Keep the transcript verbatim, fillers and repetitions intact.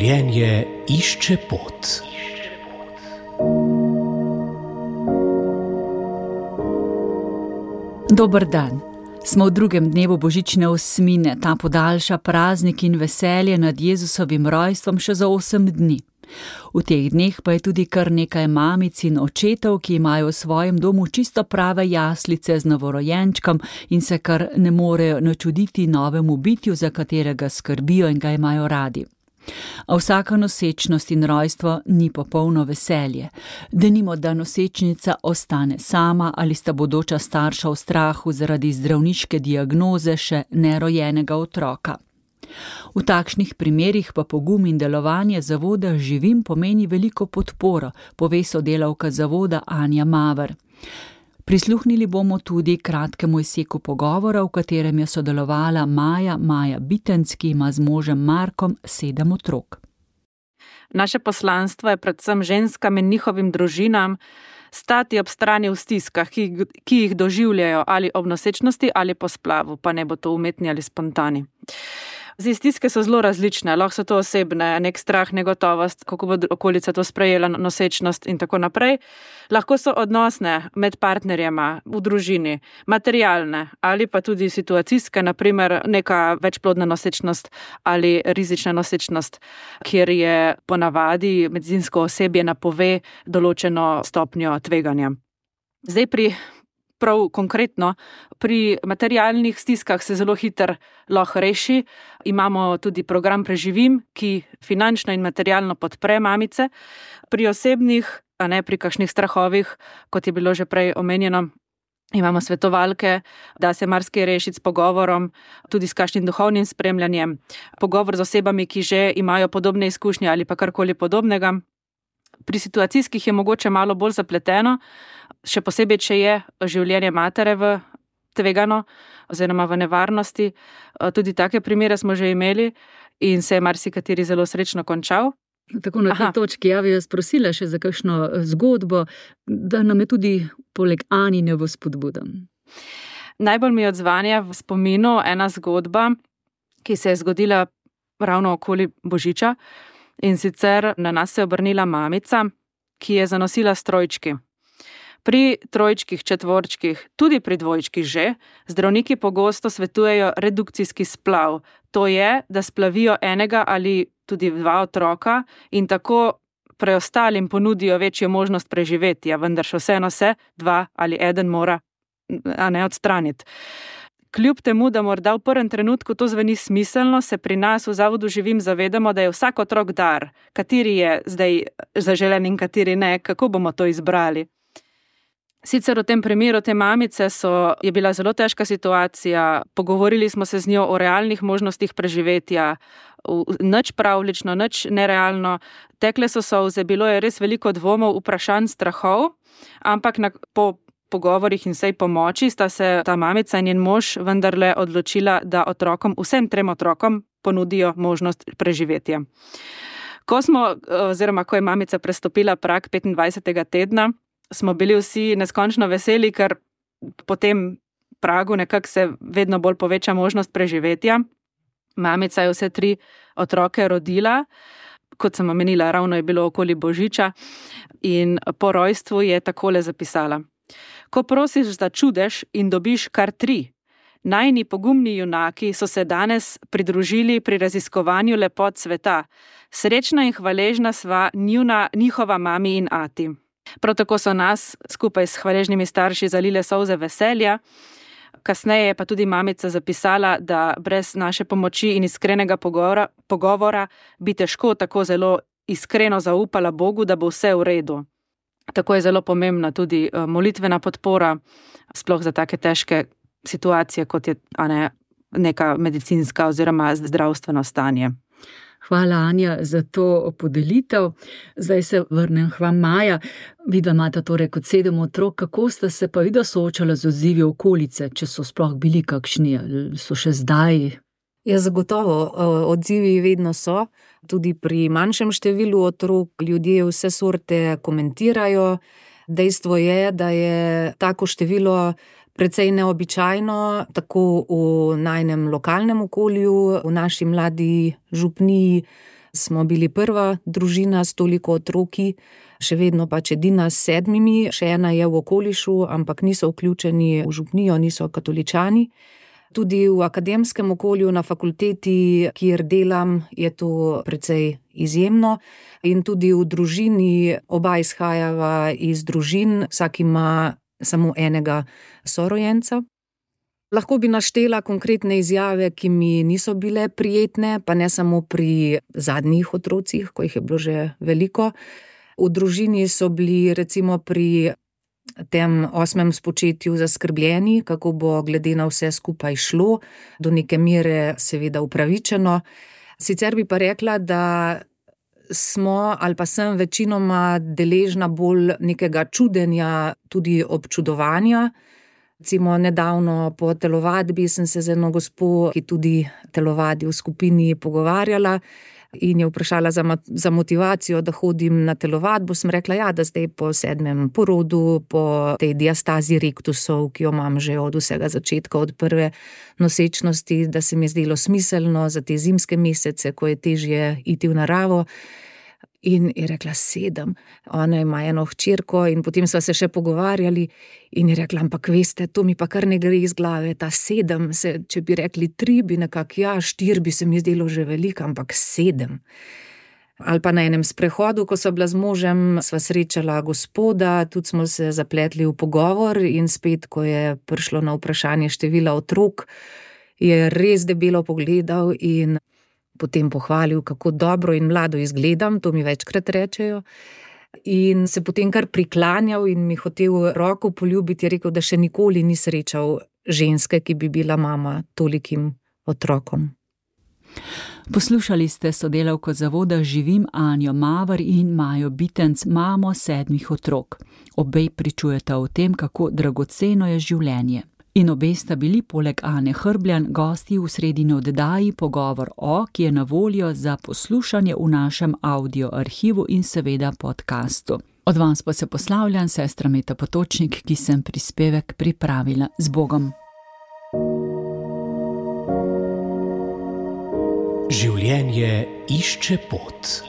Življenje išče pot. Dober dan. Smo v drugem dnevu božične osmine, ta podaljša praznik in veselje nad Jezusovim rojstvom še za osem dni. V teh dneh pa je tudi kar nekaj mamic in očetov, ki imajo v svojem domu čisto prave jaslice z novorojenčkom in se kar ne morejo načuditi novemu bitju, za katerega skrbijo in ga imajo radi. A vsaka nosečnost in rojstvo ni popolno veselje. Denimo, da nosečnica ostane sama ali sta bodoča starša v strahu zaradi zdravniške diagnoze še nerojenega otroka. V takšnih primerih pa pogum in delovanje zavoda Živim pomeni veliko podporo, pove sodelavka zavoda Anja Maver. Prisluhnili bomo tudi kratkemu izseku pogovora, v katerem je sodelovala Maja, Maja Bitenc, ki ima z možem Markom sedem otrok. Naše poslanstvo je predvsem ženskam in njihovim družinam stati ob strani v stiskah, ki, ki jih doživljajo ali ob nosečnosti ali po splavu, pa ne bo to umetni ali spontani. Zdaj, stiske so zelo različne, lahko so to osebne, nek strah, negotovost, kako bo okolica to sprejela, nosečnost in tako naprej. Lahko so odnosne med partnerjema v družini, materialne ali pa tudi situacijske, naprimer neka večplodna nosečnost ali rizična nosečnost, kjer je ponavadi medicinsko osebje napove določeno stopnjo tveganja. Zdaj pri Prav konkretno, pri materialnih stiskah se zelo hitro lahko reši. Imamo tudi program Preživim, ki finančno in materialno podpre mamice. Pri osebnih, a ne pri kakšnih strahovih, kot je bilo že prej omenjeno, imamo svetovalke, da se marsikaj rešiti s pogovorom, tudi s kakšnim duhovnim spremljanjem. Pogovor z osebami, ki že imajo podobne izkušnje ali pa karkoli podobnega. Pri situacijskih je mogoče malo bolj zapleteno, še posebej, če je življenje matere v tvegano oziroma v nevarnosti. Tudi take primere smo že imeli in se je marsikateri zelo srečno končal. Tako na tej točki, ja bi vas prosila še za kakšno zgodbo, da nam je tudi poleg Anine v spodbudo. Najbolj mi odzvanja v spominu ena zgodba, ki se je zgodila ravno okoli Božiča. In sicer na nas se je obrnila mamica, ki je zanosila s trojčki. Pri trojčkih, četvorčkih, tudi pri dvojčkih že, zdravniki pogosto svetujejo redukcijski splav. To je, da splavijo enega ali tudi dva otroka in tako preostalim ponudijo večjo možnost preživetja, vendar še vseeno se dva ali eden mora a ne odstraniti. Kljub temu, da morda v prvem trenutku to zveni smiselno, se pri nas v zavodu Živim zavedamo, da je vsak otrok dar, kateri je zdaj zaželen in kateri ne, kako bomo to izbrali. Sicer v tem primeru te mamice so, je bila zelo težka situacija, pogovorili smo se z njo o realnih možnostih preživetja, nič pravlično, nič nerealno, tekle so solze, bilo je res veliko dvomov, vprašanj, strahov, ampak na, po pogovorih in vsej pomoči sta se ta mamica in njen mož vendarle odločila, da otrokom, vsem trem otrokom ponudijo možnost preživetja. Ko smo, oziroma ko je mamica prestopila prag petindvajsetega tedna, smo bili vsi neskončno veseli, ker po tem pragu nekako se vedno bolj poveča možnost preživetja. Mamica je vse tri otroke rodila, kot sem omenila, ravno je bilo okoli Božiča in po rojstvu je takole zapisala. Ko prosiš za čudež in dobiš kar tri, najni pogumni junaki so se danes pridružili pri raziskovanju lepot sveta. Srečna in hvaležna sva njuna, njihova mami in ati. Prav tako so nas skupaj s hvaležnimi starši zalile solze veselja. Kasneje je pa tudi mamica zapisala, da brez naše pomoči in iskrenega pogovora, pogovora bi težko tako zelo iskreno zaupala Bogu, da bo vse v redu. Tako je zelo pomembna tudi molitvena podpora, sploh za take težke situacije, kot je a ne, neka medicinska oziroma zdravstveno stanje. Hvala, Anja, za to podelitev. Zdaj se vrnem k vam, Maja. Vidva imata torej kot sedem otrok, kako sta se pa vidva soočala z odzivi okolice, če so sploh bili kakšni, so še zdaj? Ja, zagotovo, odzivi vedno so. Tudi pri manjšem številu otrok ljudje vse sorte komentirajo. Dejstvo je, da je tako število precej neobičajno, tako v najnem lokalnem okolju, v naši mladi župniji, smo bili prva družina s toliko otroki, še vedno pač edina s sedmimi, še ena je v okolišu, ampak niso vključeni v župnijo, niso katoličani. Tudi v akademskem okolju na fakulteti, kjer delam, je to precej izjemno. In tudi v družini oba izhajava iz družin, vsak ima samo enega sorojenca. Lahko bi naštela konkretne izjave, ki mi niso bile prijetne, pa ne samo pri zadnjih otrocih, ko jih je bilo že veliko. V družini so bili recimo pri tem osmem spočetju zaskrbljeni, kako bo glede na vse skupaj šlo, do neke mere seveda upravičeno. Sicer bi pa rekla, da smo ali pa sem večinoma deležna bolj nekega čudenja, tudi občudovanja. Recimo nedavno po telovadbi sem se z eno gospo, ki tudi telovadi v skupini, pogovarjala in je vprašala za, za motivacijo, da hodim na telovadbo. Sem rekla, ja, da zdaj po sedmem porodu, po tej diastazi rektusov, ki jo imam že od vsega začetka, od prve nosečnosti, da se mi je zdelo smiselno za te zimske mesece, ko je težje iti v naravo. In je rekla, sedem. Ona ima eno hčerko in potem sva se še pogovarjali in je rekla, ampak veste, to mi pa kar ne gre iz glave, ta sedem, se, če bi rekli tri, bi nekako, ja, štir bi se mi zdelo že veliko, ampak sedem. Ali pa na enem sprehodu, ko sva bila z možem, sva srečala gospoda, tudi smo se zapletli v pogovor in spet, ko je prišlo na vprašanje števila otrok, je res debelo pogledal in potem pohvalil, kako dobro in mlado izgledam, to mi večkrat rečejo. In se potem kar priklanjal in mi hotel roko poljubiti, je rekel, da še nikoli ni srečal ženske, ki bi bila mama tolikim otrokom. Poslušali ste sodelavko zavoda Živim Anjo Maver in Majo Bitenc, mamo sedmih otrok. Obe pričujeta o tem, kako dragoceno je življenje. In obe sta bili poleg Ane Hrbljan gosti v sredini oddaji Pogovor o, ki je na voljo za poslušanje v našem audio arhivu in seveda podcastu. Od vas pa se poslavljam, sestra Meta Potočnik, ki sem prispevek pripravila. Z Bogom. Življenje išče pot.